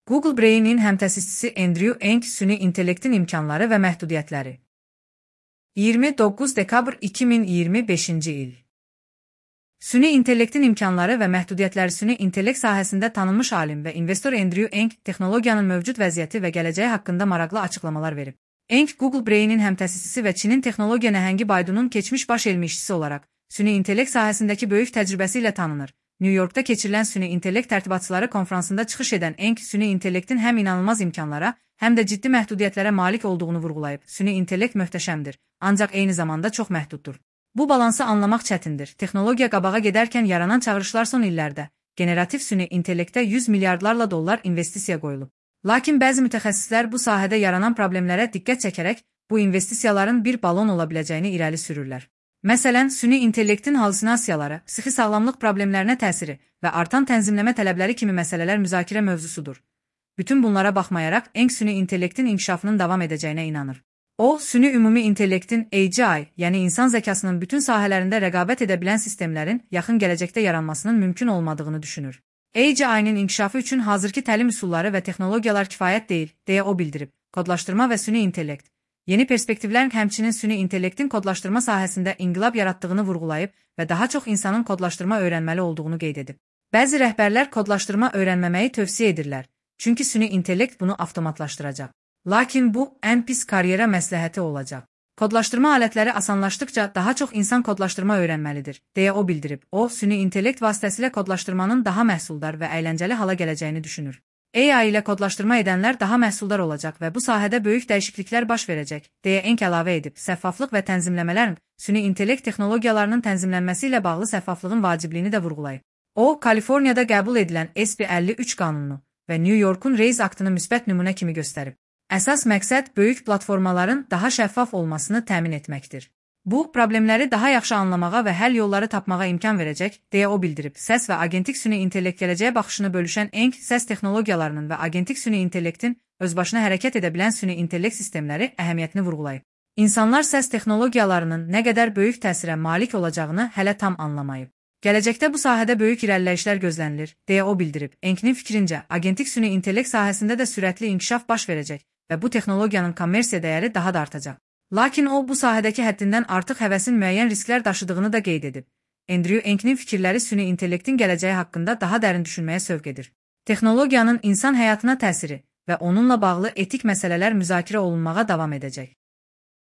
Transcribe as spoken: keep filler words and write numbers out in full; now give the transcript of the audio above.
Google Brain'in həmtəsisçisi Andrew Ng süni intellektin imkanları və məhdudiyyətləri. iyirmi doqquz dekabr iki min iyirmi beşinci il. Süni intellektin imkanları və məhdudiyyətləri süni intellekt sahəsində tanınmış alim və investor Andrew Ng texnologiyanın mövcud vəziyyəti və gələcəyi haqqında maraqlı açıqlamalar verib. Ng Google Brain'in həmtəsisçisi və Çinin texnologiya nəhəngi Baidu'nun keçmiş baş elmi işçisi olaraq süni intellekt sahəsindəki böyük təcrübəsi ilə tanınır. New Yorkda keçirilən süni intellekt tərtibatçıları konfransında çıxış edən Ng süni intellektin həm inanılmaz imkanlara, həm də ciddi məhdudiyyətlərə malik olduğunu vurğulayıb. Süni intellekt möhtəşəmdir, ancaq eyni zamanda çox məhduddur. Bu balansı anlamaq çətindir. Texnologiya qabağa gedərkən yaranan çağırışlar son illərdə generativ süni intellektə yüz milyardlarla dollar investisiya qoyulub. Lakin bəzi mütəxəssislər bu sahədə yaranan problemlərə diqqət çəkərək bu investisiyaların bir balon ola biləcəyini irəli sürürlər. Məsələn, süni intellektin halüsinasiyaları, psixi sağlamlıq problemlərinə təsiri və artan tənzimləmə tələbləri kimi məsələlər müzakirə mövzusudur. Bütün bunlara baxmayaraq, Ng süni intellektin inkişafının davam edəcəyinə inanır. O, süni ümumi intellektin A G I, yəni insan zəkasının bütün sahələrində rəqabət edə bilən sistemlərin yaxın gələcəkdə yaranmasının mümkün olmadığını düşünür. A G I-nin inkişafı üçün hazırki təlim üsulları və texnologiyalar kifayət deyil, deyə o bildirib. Kodlaşdırma və süni intellekt. Yeni perspektivlərin həmçinin süni intellektin kodlaşdırma sahəsində inqilab yaratdığını vurğulayıb və daha çox insanın kodlaşdırma öyrənməli olduğunu qeyd edib. Bəzi rəhbərlər kodlaşdırma öyrənməməyi tövsiyə edirlər, çünki süni intellekt bunu avtomatlaşdıracaq. Lakin bu, ən pis karyera məsləhəti olacaq. Kodlaşdırma alətləri asanlaşdıqca daha çox insan kodlaşdırma öyrənməlidir, deyə o bildirib. O, süni intellekt vasitəsilə kodlaşdırmanın daha məhsuldar və əyləncəli hala gələcəyini düşünür. A I ilə kodlaşdırma edənlər daha məhsuldar olacaq və bu sahədə böyük dəyişikliklər baş verəcək, deyə Ng əlavə edib. Səffaflıq və tənzimləmələrin, süni intellekt texnologiyalarının tənzimlənməsi ilə bağlı səffaflığın vacibliyini də vurğulayıb. O, Kaliforniyada qəbul edilən S B əlli üç qanununu və New Yorkun Reis aktını müsbət nümunə kimi göstərib. Əsas məqsəd böyük platformaların daha şəffaf olmasını təmin etməkdir. Bu, problemləri daha yaxşı anlamağa və həll yolları tapmağa imkan verəcək, deyə o bildirib. Səs və agentik süni intellekt gələcəyə baxışını bölüşən Ng, səs texnologiyalarının və agentik süni intellektin özbaşına hərəkət edə bilən süni intellekt sistemləri əhəmiyyətini vurğulayıb. İnsanlar səs texnologiyalarının nə qədər böyük təsirə malik olacağını hələ tam anlamayıb. Gələcəkdə bu sahədə böyük irəliləyişlər gözlənilir, deyə o bildirib. Ng'nin fikrincə, agentik süni intellekt sahəsində də sürətli inkişaf baş verəcək və bu texnologiyanın kommersiya dəyəri daha da artacaq. Lakin o, bu sahədəki həddindən artıq həvəsin müəyyən risklər daşıdığını da qeyd edib. Andrew Ng'nin fikirləri süni intellektin gələcəyi haqqında daha dərin düşünməyə sövq edir. Texnologiyanın insan həyatına təsiri və onunla bağlı etik məsələlər müzakirə olunmağa davam edəcək.